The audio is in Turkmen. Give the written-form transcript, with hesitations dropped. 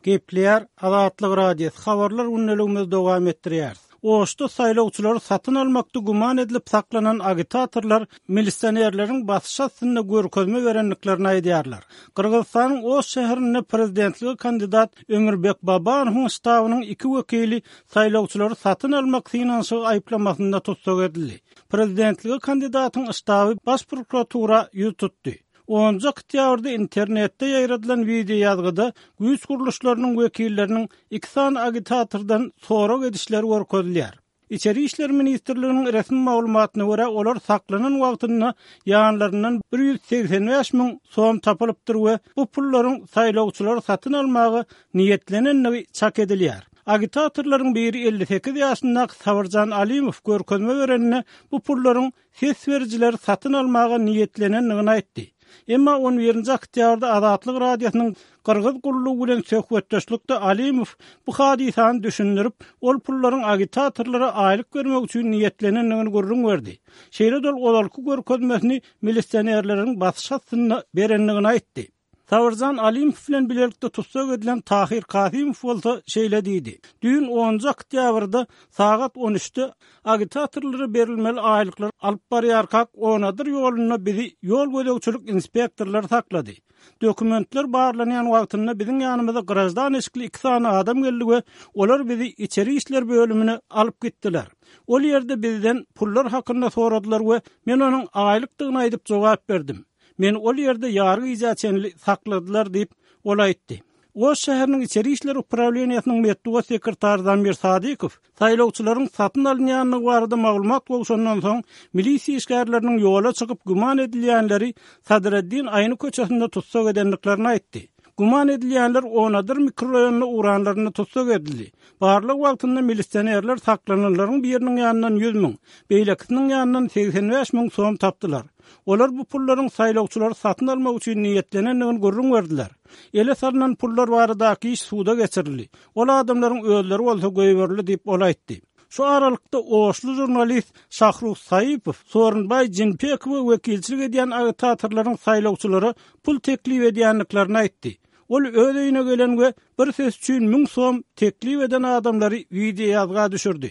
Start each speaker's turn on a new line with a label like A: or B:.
A: Gepleýär Azatlyk Radiosy, Habarlar gündeligimizi dowam etdirýäris. Oşda saýlawçylary satyn almakda güman edilip saklanan agitatorlar milisionerleriň basyş astynda görkezme berendiklerini aýdýarlar. Gyrgyzystanyň Oş şäherinde prezidentlige kandidat Ömürbek Babanowyň ştabynyň iki wekili saýlawçylary satyn almak synanyşygy aýyplamasynda tussag edildi. Prezidentlige kandidatyň ştaby Baş prokuratura ýüz tutdy. Onunjy oktýabrda internetde ýaýradylan wideoýazgyda güýç gurluşlarynyň wekilleriniň iki sany agitatordan sorag edişleri görkezilýär. Içeri işler ministrliginiň resmi maglumatyna görä, olar saklanan wagtynda ýanlaryndan 185 müň som tapylypdyr we bu pullaryň saýlawçylary satyn almaga niýetlenendigi çak edilýär. Agitatorlaryň biri 58 ýaşyndaky Sabyrjan Alimow görkezme berende bu pullaryň ses berijileri satyn almaga niýetlenendigini aýtdy. Emma on birinji oktýabrda Azatlyk Radiosynyň Gyrgyz gullugy bilen söhbetdeşlikde Alimow bu hadysany düşündirip, ol pullaryň agitatorlara aýlyk bermek üçin niýetlenendigini gürrüň berdi. Şeýle-de ol ozalky görkezmesini milisionerleriň basyş astynda berendigini aýtdy. Sabyrjan Alimow bilen bilelikde tussag edilen Tahyr Kasymow bolsa şeýle diýdi, Düýn onunjy oktýabrda sagat on üçde agitatorlara berilmeli aýlyklary alyp barýarkak Onadyr ýolunda bizi ýol gözegçilik inspektorlary saklady. Dokumentler barlanýan wagtynda biziň ýanymyza graždan eşikli iki sany adam geldi we olar bizi içeri işler bölümine alyp gitdiler. Ol ýerde bizden pullar hakynda soradylar we men onuň aýlykdygyny aýdyp jogap berdim. Meni ol ýerde ýary gijä çenli sakladylar diýip, ol aýtdy. Oş şäheriniň içeri işler uprawleniýesiniň metbugat sekretary Zamir Sadykow saýlawçylaryň satyn alynýandygy barada maglumat gowşandan soň, milisiýa işgärleriniň ýola çykyp güman edilýänleri Sadreddin Aýny köçesinde tussag edendiklerini aýtdy. Güman edilýänler Onadyr mikroraýonyna ugranlarynda tussag edildi. Barlag wagtynda milisionerler saklananlaryň biriniň ýanyndan 100 müň, beýlekisiniň ýanyndan 85 müň som tapdylar. Olar bu pullaryň saýlawçylary satyn almak üçin niýetlenendigini gürrüň berdiler. Ele salnan pullar baradaky iş suda geçirildi. Ol adamlaryň özleri bolsa goýberildi diýip, ol aýtdy. Şu aralykda oşly žurnalist Şahruh Saipow Sooronbaý Jinpekowa wekilçilik edýän agitatorlaryň saýlawçylara pul teklip edýändiklerini aýtdy. Ol öz öýüne gelen we bir ses üçin müň som teklip eden adamlary wideoýazga düşürdi.